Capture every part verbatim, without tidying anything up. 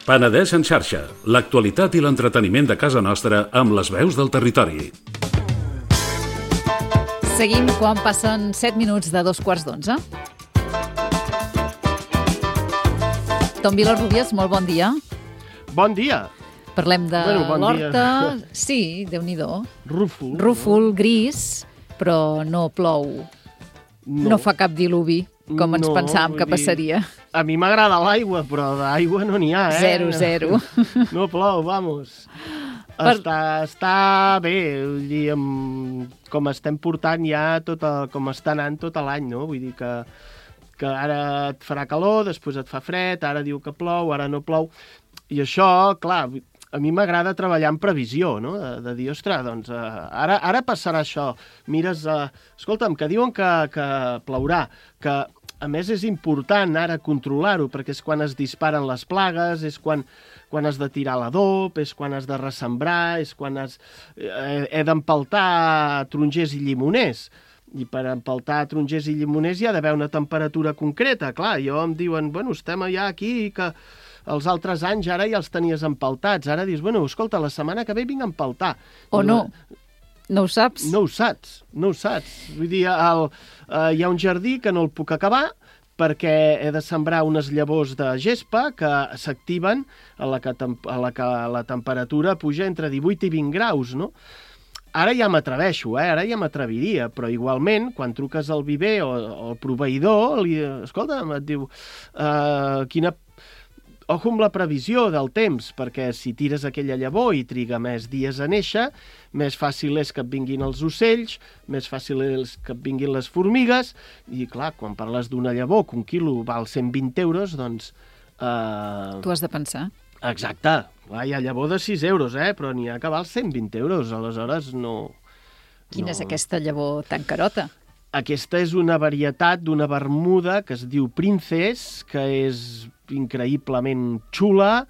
Penedès en xarxa, l'actualitat i l'entreteniment de casa nostra amb les veus del territori. Seguim quan passen set minuts de dos quarts d'onze. Tom Vilarrubias, molt bon dia. Bon dia. Parlem de bueno, bon l'horta. Dia. Sí, Déu-n'hi-do. Rúfol. Rúfol, gris, però no plou. No, no fa cap diluvi, com ens no, pensàvem que passaria. A mi m'agrada l'aigua, però d'aigua no n'hi ha, eh? Zero, zero. No plou, vamos. Per... Està, està bé, vull dir, amb, com estem portant ja, tot el, com està anant tot l'any, no? Vull dir que, que ara et farà calor, després et fa fred, ara diu que plou, ara no plou. I això, clar, a mi m'agrada treballar en previsió, no? De, de dir, ostres, doncs, uh, ara, ara passarà això. Mires, uh, escolta'm, que diuen que, que plourà, que a més és important ara controlar-ho, perquè és quan es disparen les plagues, és quan, quan has de tirar l'adob, és quan has de ressembrar, és quan has, eh, he d'empaltar tarongers i llimoners. I per empaltar tarongers i llimoners hi ha d'haver una temperatura concreta. Clar, jo em diuen, bueno, estem ja aquí, que els altres anys ara ja els tenies empaltats. Ara dius, bueno, escolta, la setmana que ve vinc a empaltar. O no, no ho saps. No ho saps, no ho saps. Vull dir, el, uh, hi ha un jardí que no el puc acabar perquè he de sembrar unes llavors de gespa que s'activen a la que, a la que la temperatura puja entre divuit i vint graus, no? Ara ja m'atreveixo, eh? Ara ja m'atreviria, però igualment, quan truques al viver o, o al proveïdor, li, escolta, et diu, uh, quina... Ojo amb la previsió del temps, perquè si tires aquella llavor i triga més dies a néixer, més fàcil és que et vinguin els ocells, més fàcil és que et vinguin les formigues, i clar, quan parles d'una llavor que un quilo val cent vint euros, doncs... Eh... Tu has de pensar. Exacte. Clar, hi ha llavor de sis euros, eh? Però n'hi ha que val cent vint euros, aleshores no... Quina no... és aquesta llavor tan carota? Aquesta és una varietat d'una bermuda que es diu Princess, que és increïblement xula.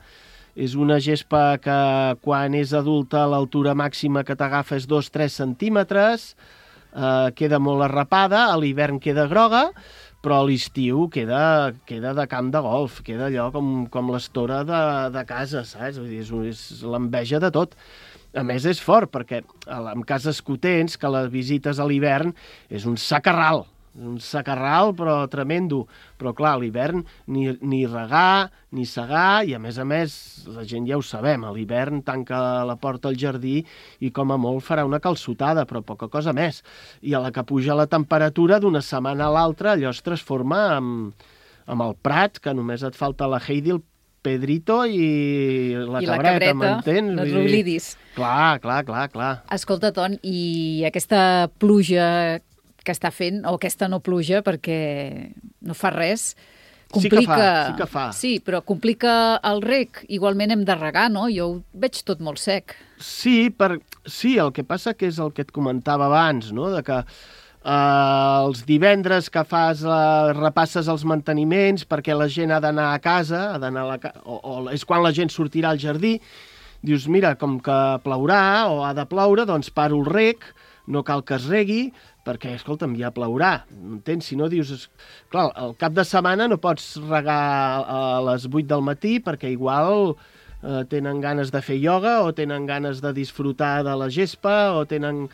És una gespa que quan és adulta l'altura màxima que t'agafa és dos a tres centímetres, eh, queda molt arrapada, a l'hivern queda groga, però a l'estiu queda, queda de camp de golf, queda allò com, com l'estora de, de casa, saps? Vull dir, és, és l'enveja de tot. A més, és fort, perquè en cases cotents, que les visites a l'hivern, és un sacarral, un sacarral, però tremendo. Però, clar, a l'hivern ni, ni regar, ni segar, i a més a més, la gent ja ho sabem, a l'hivern tanca la porta al jardí i com a molt farà una calçotada, però poca cosa més. I a la que puja la temperatura, d'una setmana a l'altra, allò es transforma amb, amb el prat, que només et falta la Heidi, el Pedrito i la I cabreta, la cabreta, m'entens? no t'oblidis. Clar, clar, clar, clar. Escolta, Ton, i aquesta pluja que està fent, o aquesta no pluja, perquè no fa res, complica... Sí que fa, sí que fa. Sí, però complica el reg. Igualment hem de regar, no? Jo ho veig tot molt sec. Sí, per... sí, el que passa que és el que et comentava abans, no?, de que Uh, els divendres que fas, uh, repasses els manteniments perquè la gent ha d'anar a casa, ha d'anar a la ca... o, o és quan la gent sortirà al jardí, dius, mira, com que plourà o ha de ploure, doncs paro el reg, no cal que es regui, perquè, escolta'm, ja plourà, entens? Si no, dius, clar, al cap de setmana no pots regar a les vuit del matí perquè igual... Uh, tenen ganes de fer ioga o tenen ganes de disfrutar de la gespa o tenen...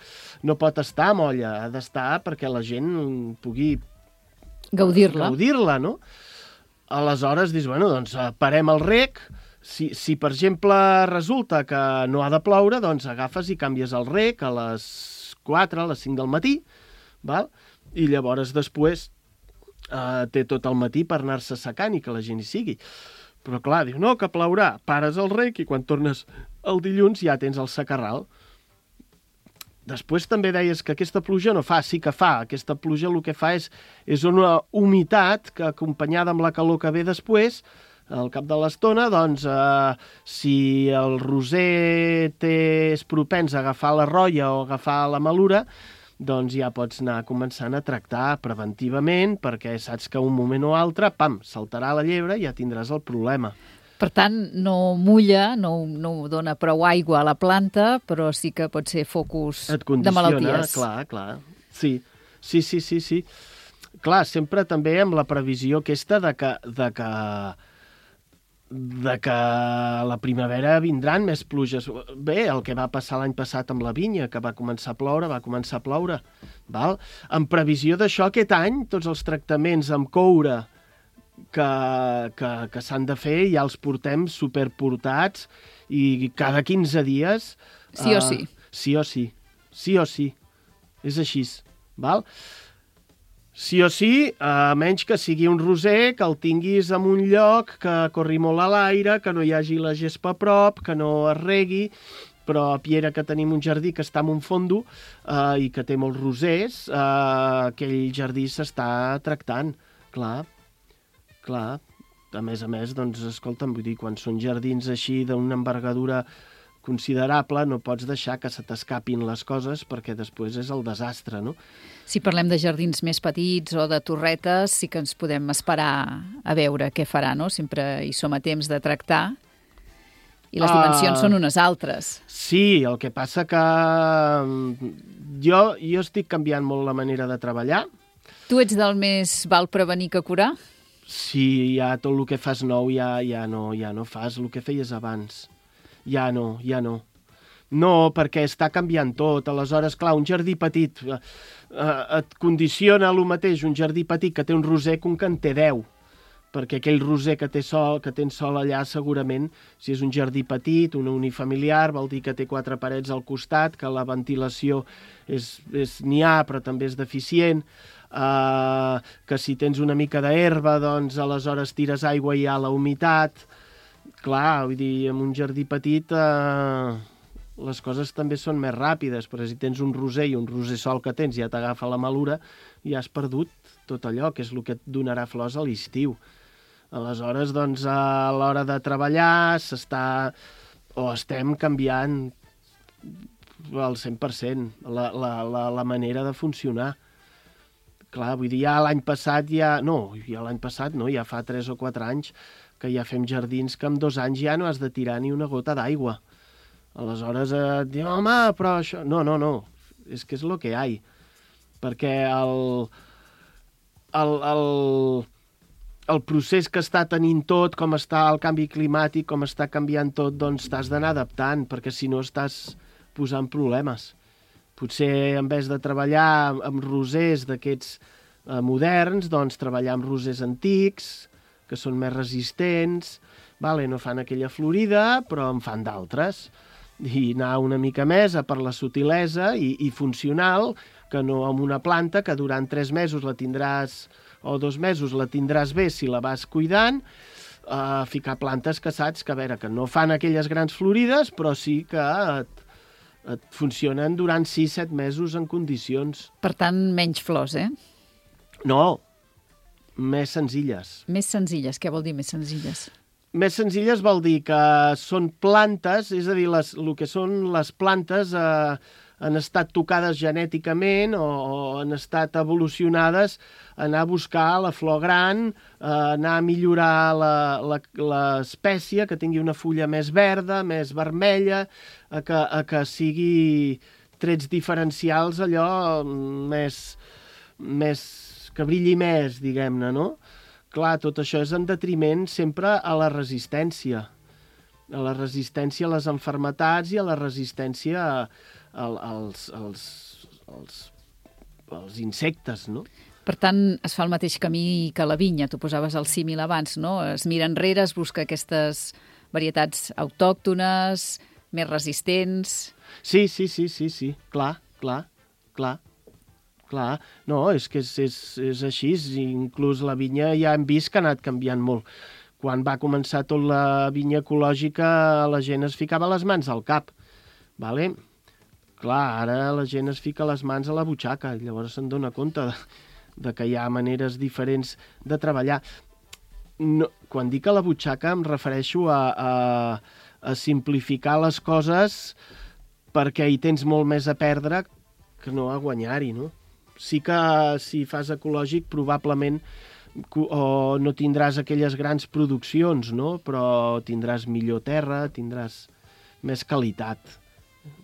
no pot estar a molla, ha d'estar perquè la gent pugui gaudir-la. Gaudir-la, no? Aleshores, dius, bueno, doncs parem el reg, si, si per exemple resulta que no ha de ploure, doncs agafes i canvies el reg a les quatre, a les cinc del matí, val? I llavors després uh, té tot el matí per anar-se secant i que la gent hi sigui. Però clar, diu, no, que plourà, pares el reg i quan tornes el dilluns ja tens el secarral. Després també deies que aquesta pluja no fa, sí que fa. Aquesta pluja el que fa és, és una humitat que acompanyada amb la calor que ve després, al cap de l'estona, doncs, eh, si el roser té, és propens a agafar la rolla o agafar la malura, doncs ja pots anar començant a tractar preventivament, perquè saps que un moment o altre, pam, saltarà la llebre i ja tindràs el problema. Per tant, no mulla, no, no dona prou aigua a la planta, però sí que pot ser focus de malalties. Clar, clar. Sí, sí, sí, sí, sí. Clar, sempre també amb la previsió aquesta de que, de que de que a la primavera vindran més pluges. Bé, el que va passar l'any passat amb la vinya, que va començar a ploure, va començar a ploure. Val? En previsió d'això, aquest any, tots els tractaments amb coure que, que, que s'han de fer ja els portem superportats i cada quinze dies... Sí o sí. Uh, sí o sí. Sí o sí. És així. Val? Sí o sí, a menys que sigui un roser, que el tinguis en un lloc que corri molt a l'aire, que no hi hagi la gespa a prop, que no es regui, però a Piera, que tenim un jardí que està en un fondo eh, i que té molts rosers, eh, aquell jardí s'està tractant, clar, clar. A més a més, doncs, escolta'm, vull dir, quan són jardins així d'una envergadura considerable, no pots deixar que se t'escapin les coses perquè després és el desastre, no? Si parlem de jardins més petits o de torretes, sí que ens podem esperar a veure què farà, no? Sempre hi som a temps de tractar i les dimensions uh, són unes altres. Sí, el que passa que jo, jo estic canviant molt la manera de treballar. Tu ets del més val prevenir que curar? Sí, ja tot el que fas nou ja, ja, no, ja no fas el que feies abans. Ja no, ja no. No, perquè està canviant tot. Aleshores, clar, un jardí petit eh, et condiciona el mateix un jardí petit que té un roser que un que en té deu. Perquè aquell roser que té sol, que tens sol allà, segurament, si és un jardí petit, un unifamiliar, vol dir que té quatre parets al costat, que la ventilació és, és n'hi ha, però també és deficient, eh, que si tens una mica d'herba, doncs aleshores tires aigua i hi ha la humitat. Clar, vull dir, en un jardí petit eh, les coses també són més ràpides, però si tens un roser i un roser sol que tens ja t'agafa la malura, ja has perdut tot allò, que és el que et donarà flors a l'estiu. Aleshores, doncs, a l'hora de treballar s'està, o estem canviant al cent per cent la, la, la, la manera de funcionar. Clar, vull dir, ja l'any passat, ja... no, ja l'any passat no, ja fa tres o quatre anys que ja fem jardins que en dos anys ja no has de tirar ni una gota d'aigua. Aleshores et diu, home, però això... No, no, no, és que és el que hi ha. Perquè el, el, el, el procés que està tenint tot, com està el canvi climàtic, com està canviant tot, doncs t'has d'anar adaptant, perquè si no estàs posant problemes. Potser en vez de treballar amb rosers d'aquests eh, moderns, doncs treballar amb rosers antics, que són més resistents, vale, no fan aquella florida, però en fan d'altres. I anar una mica més a per la sutilesa i, i funcional, que no amb una planta que durant tres mesos la tindràs, o dos mesos la tindràs bé si la vas cuidant, eh, ficar plantes que saps que, a veure, que no fan aquelles grans florides, però sí que et, et funcionen durant sis set mesos en condicions. Per tant, menys flors, eh? No, més senzilles. Més senzilles, què vol dir més senzilles? Més senzilles vol dir que són plantes, és a dir, les, el que són les plantes eh, han estat tocades genèticament o, o han estat evolucionades a anar a buscar la flor gran, a anar a millorar l'espècie, que tingui una fulla més verda, més vermella, a que, a que sigui trets diferencials allò més... més que brilli més, diguem-ne, no? Clar, tot això és en detriment sempre a la resistència. A la resistència a les malalties i a la resistència a, a, als, als, als, als insectes, no? Per tant, es fa el mateix camí que la vinya. Tu posaves el símil abans, no? Es mira enrere, es busca aquestes varietats autòctones, més resistents... Sí, sí, sí, sí, sí. Clar, clar, clar. Clar, no, és que és, és, és així, inclús la vinya ja hem vist que ha anat canviant molt. Quan va començar tot la vinya ecològica, la gent es ficava les mans al cap, vale? Clar, ara la gent es fica les mans a la butxaca, i llavors se'n dona compte de, de que hi ha maneres diferents de treballar. No, quan dic a la butxaca em refereixo a, a, a simplificar les coses perquè hi tens molt més a perdre que no a guanyar-hi, no? Sí que si fas ecològic probablement o no tindràs aquelles grans produccions, no? Però tindràs millor terra, tindràs més qualitat.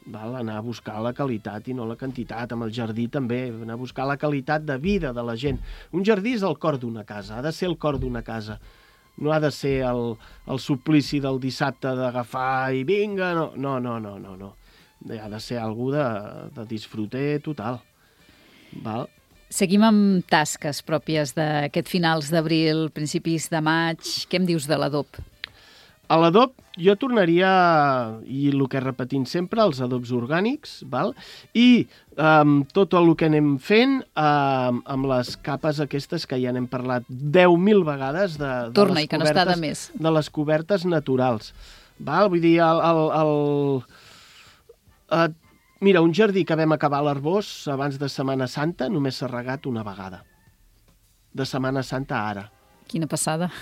Val? Anar a buscar la qualitat i no la quantitat. Amb el jardí també, anar a buscar la qualitat de vida de la gent. Un jardí és el cor d'una casa, ha de ser el cor d'una casa. No ha de ser el, el suplici del dissabte d'agafar i vinga, no, no, no, no, no. no. Ha de ser algú de, de disfruter total. Val? Seguim amb tasques pròpies d'aquest finals d'abril, principis de maig. Què em dius de l'adob? A l'adob jo tornaria, i el que repetint sempre, els adobs orgànics, val? I um, tot el que anem fent um, amb les capes aquestes que ja n'hem parlat deu mil vegades de, de, Torna, les, i que no cobertes, està de més. de les cobertes naturals. Val? Vull dir, el... el, el uh, mira, un jardí que vam acabar a l'Arbós abans de Setmana Santa només s'ha regat una vegada. De Setmana Santa a ara. Quina passada.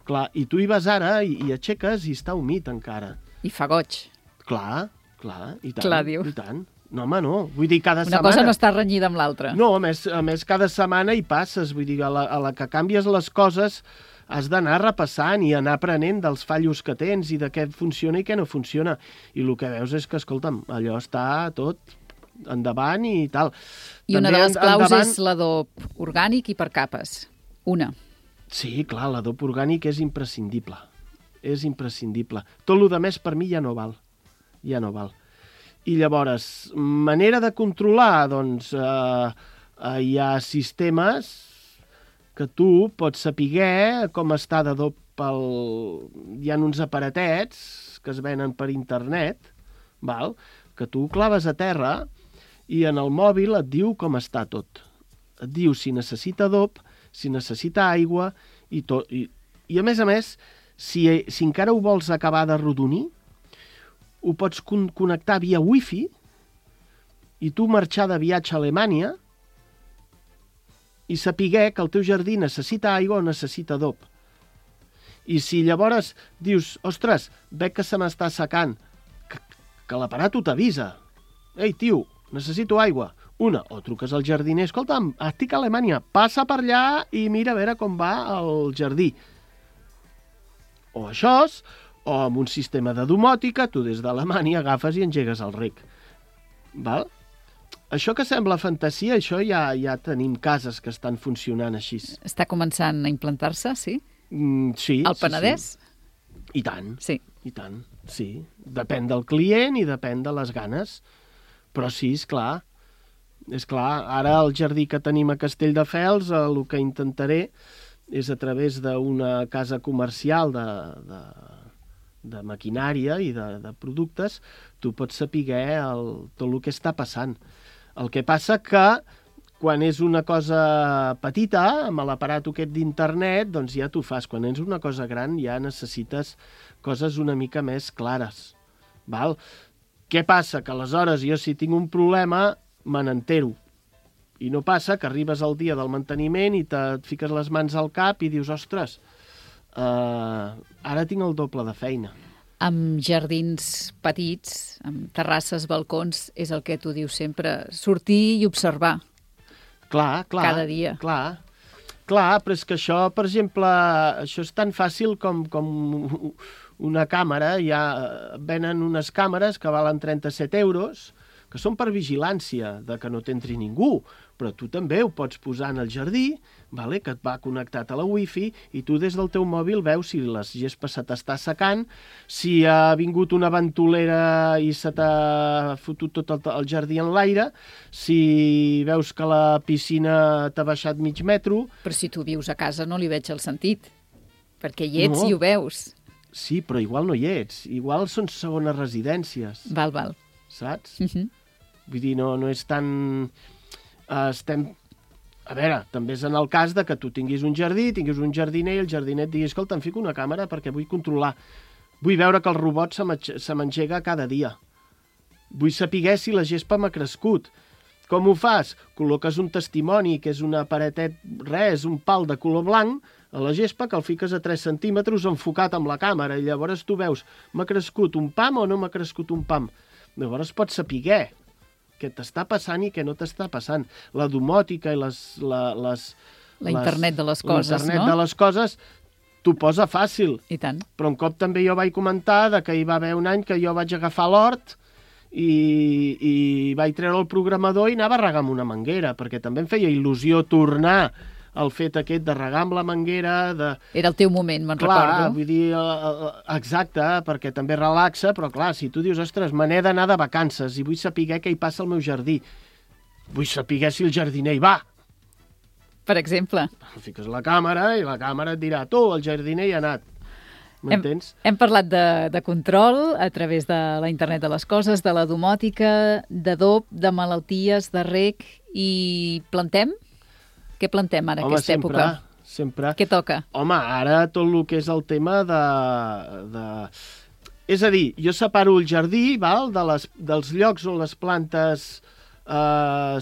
Clar, i tu hi vas ara i, i aixeques i està humit encara. I fa goig. Clar, clar, i tant. Clar, diu. I tant. No, home, no. Vull dir, cada Una setmana... cosa no està renyida amb l'altra. No, a més, a més, cada setmana hi passes. Vull dir, a la, a la que canvies les coses has d'anar repassant i anar aprenent dels fallos que tens i de què funciona i què no funciona. I el que veus és que, escolta'm, allò està tot endavant i tal. I una També de les claus endavant... és l'adob orgànic i per capes. Una. Sí, clar, l'adob orgànic és imprescindible. És imprescindible. Tot el que més per mi ja no val. Ja no val. I llavors, manera de controlar, doncs, eh, eh, hi ha sistemes que tu pots saber com està d'adob pel... Hi ha uns aparatets que es venen per internet, val? Que tu claves a terra i en el mòbil et diu com està tot. Et diu si necessita adob, si necessita aigua, i, tot, i, i a més a més, si, si encara ho vols acabar de rodonir, ho pots con connectar via wifi i tu marxar de viatge a Alemanya i saber que el teu jardí necessita aigua o necessita adob. I si llavors dius, ostres, veig que se m'està secant, que, que l'aparat t'avisa. Ei, tio, necessito aigua. Una, o truques al jardiner, escolta'm, estic a Alemanya, passa per allà i mira a veure com va el jardí. O això, o amb un sistema de domòtica, tu des d'Alemanya agafes i engegues el rec. Val? Això que sembla fantasia, això ja, ja tenim cases que estan funcionant així. Està començant a implantar-se, sí? Mm, sí. Al Penedès? Sí, sí. I tant. Sí. I tant, sí. Depèn del client i depèn de les ganes. Però sí, és clar. És clar, ara el jardí que tenim a Castelldefels, el que intentaré és a través d'una casa comercial de, de, de maquinària i de, de productes, tu pots saber el, tot el que està passant. El que passa que quan és una cosa petita, amb l'aparat aquest d'internet, doncs ja t'ho fas. Quan és una cosa gran ja necessites coses una mica més clares. Val? Què passa? Que aleshores jo si tinc un problema me n'entero. I no passa que arribes al dia del manteniment i te, et fiques les mans al cap i dius, ostres, uh, ara tinc el doble de feina. Amb jardins petits, amb terrasses, balcons, és el que tu dius sempre, sortir i observar. Clar, clar. Cada dia. Clar, clar, però és que això, per exemple, això és tan fàcil com, com una càmera. Ja venen unes càmeres que valen trenta-set euros, que són per vigilància, de que no t'entri ningú, però tu també ho pots posar en el jardí, vale? Que et va connectat a la wifi, i tu des del teu mòbil veus si les gespa se t'està secant, si ha vingut una ventolera i se t'ha fotut tot el, el jardí en l'aire, si veus que la piscina t'ha baixat mig metro... Però si tu vius a casa no li veig el sentit, perquè hi ets no. I ho veus. Sí, però igual no hi ets. Igual són segones residències. Val, val. Saps? Uh -huh. Vull dir, no, no és tan... Uh, estem... A veure, també és en el cas de que tu tinguis un jardí, tinguis un jardiner i el jardiner et digui, escolta, em fico una càmera perquè vull controlar. Vull veure que el robot se m'engega cada dia. Vull saber si la gespa m'ha crescut. Com ho fas? Col·loques un testimoni, que és una paretet, res, un pal de color blanc, a la gespa, que el fiques a tres centímetres enfocat amb la càmera, i llavors tu veus, m'ha crescut un pam o no m'ha crescut un pam? Llavors pots saber què t'està passant i què no t'està passant. La domòtica i les... La, les la internet de les coses, no? L'internet de les coses t'ho posa fàcil. I tant. Però un cop també jo vaig comentar de que hi va haver un any que jo vaig agafar l'hort i, i vaig treure el programador i anava a regar amb una manguera, perquè també em feia il·lusió tornar el fet aquest de regar amb la manguera, de... Era el teu moment, me'n Clar, recordo. vull dir, eh, exacte, perquè també relaxa, però clar, si tu dius, ostres, me n'he d'anar de vacances i vull saber què hi passa al meu jardí, vull saber si el jardiner hi va. Per exemple. Fiques la càmera i la càmera et dirà, tu, el jardiner hi ha anat. M'entens? Hem, hem parlat de, de control a través de la internet de les coses, de la domòtica, d'adob, de malalties, de reg, i plantem? Què plantem ara, Home, aquesta sempre, època? sempre. Què toca? Home, ara tot el que és el tema de... de... És a dir, jo separo el jardí, val, de les, dels llocs on les plantes eh,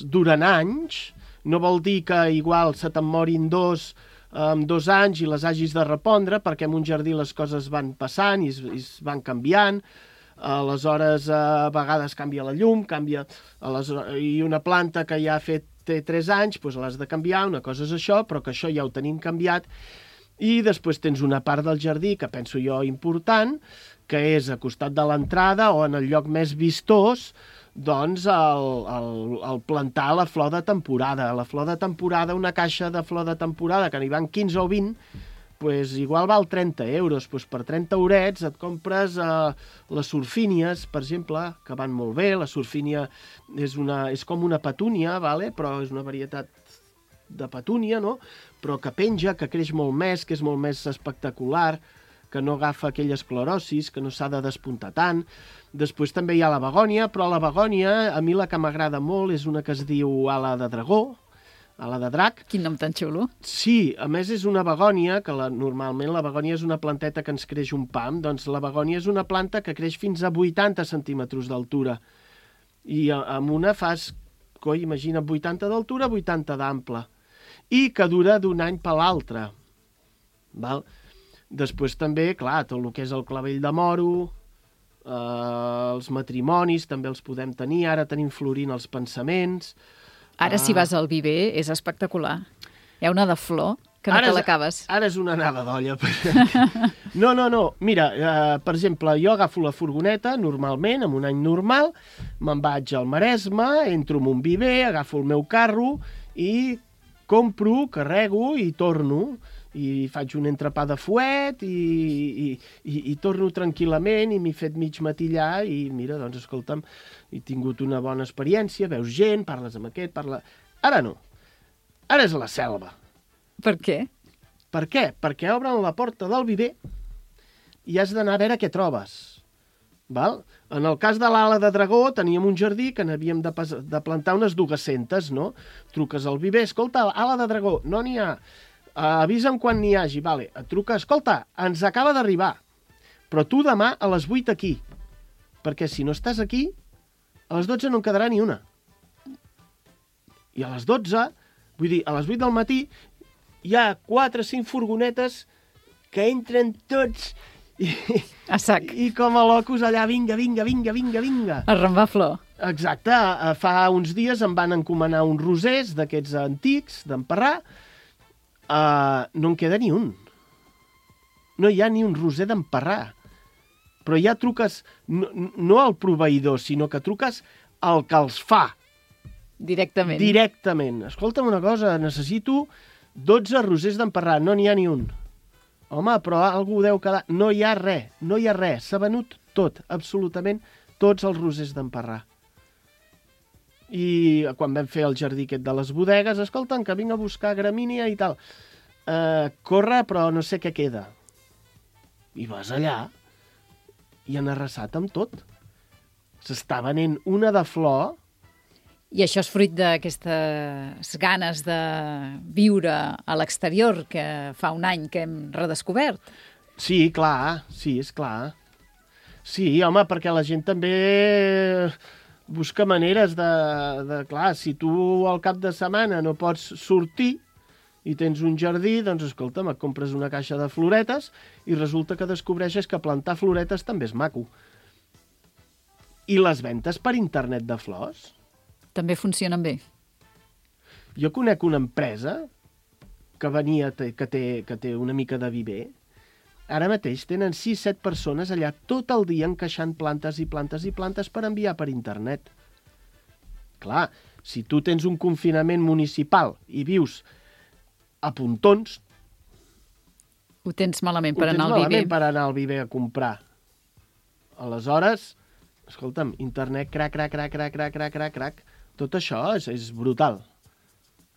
duren anys. No vol dir que igual se te'n morin dos en dos anys i les hagis de repondre, perquè en un jardí les coses van passant i es, i es van canviant. Aleshores, a vegades canvia la llum, canvia... Aleshores, i una planta que ja ha fet té tres anys, doncs l'has de canviar, una cosa és això, però que això ja ho tenim canviat. I després tens una part del jardí, que penso jo important, que és a costat de l'entrada o en el lloc més vistós, doncs el, el, el plantar la flor de temporada. La flor de temporada, una caixa de flor de temporada, que n'hi van quinze o vint, pues igual val trenta euros. Pues per trenta eurets et compres eh, les surfínies, per exemple, que van molt bé. La surfínia és, una, és com una petúnia, vale? Però és una varietat de petúnia, no? Però que penja, que creix molt més, que és molt més espectacular, que no agafa aquelles clorosis, que no s'ha de despuntar tant. Després també hi ha la begònia, però la begònia, a mi la que m'agrada molt és una que es diu ala de dragó, ala de drac. Quin nom tan xulo. Sí, a més és una begònia, que la, normalment la begònia és una planteta que ens creix un pam, doncs la begònia és una planta que creix fins a vuitanta centímetres d'altura. I amb una fas, coi, imagina, vuitanta d'altura, vuitanta d'ample. I que dura d'un any per l'altre. Val? Després també, clar, tot el que és el clavell de moro, eh, els matrimonis també els podem tenir, ara tenim florint els pensaments. Ara, uh... si vas al viver, és espectacular. Hi ha una de flor que no ara te és, l'acabes. Ara és una anada d'olla. No, no, no. Mira, eh, per exemple, jo agafo la furgoneta, normalment, en un any normal, me'n vaig al Maresme, entro en un viver, agafo el meu carro i compro, carrego i torno. I faig un entrepà de fuet i, i, i, i torno tranquil·lament i m'he fet mig matí allà i mira, doncs escolta'm, he tingut una bona experiència, veus gent, parles amb aquest, parla... Ara no. Ara és la selva. Per què? Per què? Perquè obren la porta del viver i has d'anar a veure què trobes. Val? En el cas de l'ala de dragó teníem un jardí que n'havíem de, de plantar unes dues-centes, no? Truques al viver, escolta, ala de dragó, no n'hi ha... Uh, avisa'm quan n'hi hagi, vale. Et truca, escolta, ens acaba d'arribar, però tu demà a les vuit aquí, perquè si no estàs aquí, a les dotze no en quedarà ni una. I a les dotze, vull dir, a les vuit del matí, hi ha quatre o cinc furgonetes que entren tots i, a sac. I com a locos allà, vinga, vinga, vinga, vinga, vinga. A rembar flor. Exacte, fa uns dies em van encomanar uns rosers d'aquests antics, d'emparrar. Uh, no en queda ni un. No hi ha ni un roser d'emparrar. Però ja truques no, no al proveïdor, sinó que truques al que els fa. Directament. Directament. Escolta'm una cosa, necessito dotze rosers d'emparrar, no n'hi ha ni un. Home, però algú deu quedar... No hi ha res, no hi ha res. S'ha venut tot, absolutament tots els rosers d'emparrar. I quan vam fer el jardí aquest de les bodegues, escolta'm, que vinc a buscar gramínia i tal. Uh, corre, però no sé què queda. I vas allà i han arrasat amb tot. S'està venent una de flor. I això és fruit d'aquestes ganes de viure a l'exterior que fa un any que hem redescobert. Sí, clar, sí, és clar. Sí, home, perquè la gent també busca maneres de, de... Clar, si tu al cap de setmana no pots sortir i tens un jardí, doncs escolta'm, et compres una caixa de floretes i resulta que descobreixes que plantar floretes també és maco. I les ventes per internet de flors? També funcionen bé. Jo conec una empresa que venia, que té, que té una mica de viver. Ara mateix tenen sis set persones allà tot el dia encaixant plantes i plantes i plantes per enviar per internet. Clar, si tu tens un confinament municipal i vius a puntons. Ho tens malament per Ho tens anar al Viver. malament per anar al Viver a comprar. Aleshores, escolta'm, internet, crac, crac, crac, crac, crac, crac, crac, crac. Tot això és, és brutal.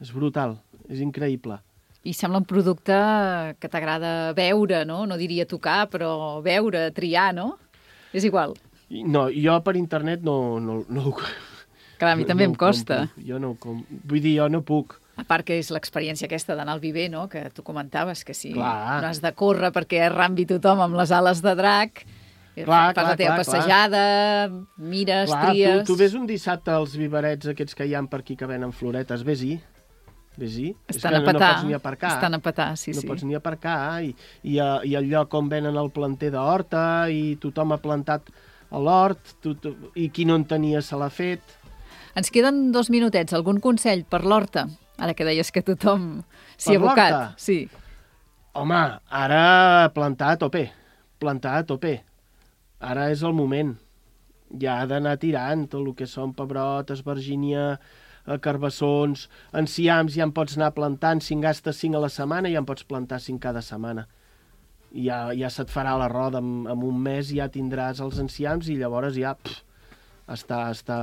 És brutal, és increïble. I sembla un producte que t'agrada veure, no? No diria tocar, però veure, triar, no? És igual. I no, jo per internet no... no, no Clar, a mi també no em costa. Compro. Jo no ho com... Vull dir, jo no puc. A part que és l'experiència aquesta d'anar al Viver, no? Que tu comentaves, que si Clar. no has de córrer perquè arrambi tothom amb les ales de drac, Clar, fas clar, la teva clar, passejada, mires, Clar, tries... tu, tu ves un dissabte als viverets aquests que hi ha per aquí que venen floretes, vés-hi. Vés-hi. És Estan que a no, petar, no pots ni aparcar. estan a petar, sí, no sí. pots ni aparcar. I, i, a, i el lloc on venen el planter d'horta i tothom ha plantat a l'hort tu, tu, i qui no en tenia se l'ha fet. Ens queden dos minutets. Algun consell per l'horta? Ara que deies que tothom s'hi Per ha abocat. l'horta? Sí. Home, ara plantar a tope. Plantar a tope. Ara és el moment. Ja ha d'anar tirant tot el que són pebrot, esvergínia, carbassons, enciams, ja en pots anar plantant. Si en gastes cinc a la setmana, ja en pots plantar cinc cada setmana. I ja, ja se't farà la roda. En, en un mes ja tindràs els enciams i llavors ja... Pff, està, està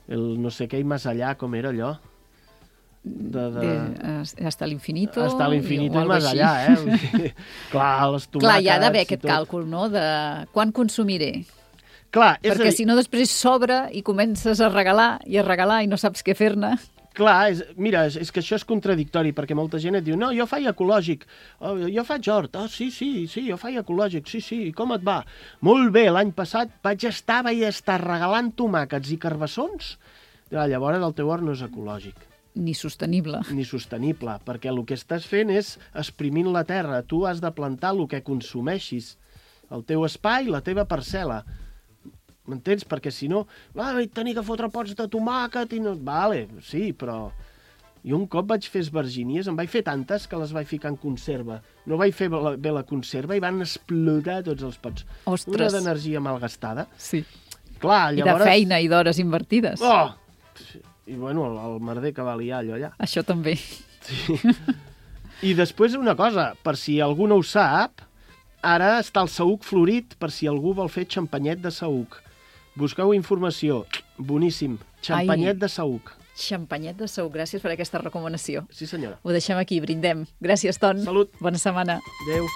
el no sé què i més allà, com era allò? De, de... de hasta l'infinito. Hasta l'infinito o i algo més així. allà, eh? Clar, les tomàquets... Clar, hi ha d'haver i aquest tot. càlcul, no?, de quan consumiré. Clar, és Perquè a dir, si no després sobra i comences a regalar i a regalar i no saps què fer-ne. clar, és, mira, és, és que això és contradictori, perquè molta gent et diu, no, jo faig ecològic, oh, jo faig hort, oh, sí, sí, sí, jo faig ecològic, sí, sí, i com et va? Molt bé, l'any passat vaig estar, vaig estar regalant tomàquets i carbassons, ja, llavors el teu hort no és ecològic. Ni sostenible. Ni sostenible, perquè el que estàs fent és exprimint la terra. Tu has de plantar el que consumeixis, el teu espai, la teva parcel·la. M'entens? Perquè si no, ah, vaig tenir que fotre pots de tomàquet i no... Vale, sí, però... Jo un cop vaig fer esvergínies, em vaig fer tantes que les vaig ficar en conserva. No vaig fer la, bé la conserva i van explotar tots els pots. Ostres. Una d'energia malgastada. Sí. Clar, I llavors... de feina i d'hores invertides. Oh! I bueno, el, el merder que valia allò allà. Això també. Sí. I després una cosa, per si algú no ho sap, ara està el saüc florit per si algú vol fer xampanyet de saüc. Busqueu informació. Boníssim. Xampanyet Ai. de saüc. Xampanyet de saüc. Gràcies per aquesta recomanació. Sí, senyora. Ho deixem aquí, brindem. Gràcies, Ton. Salut. Bona setmana. Adéu.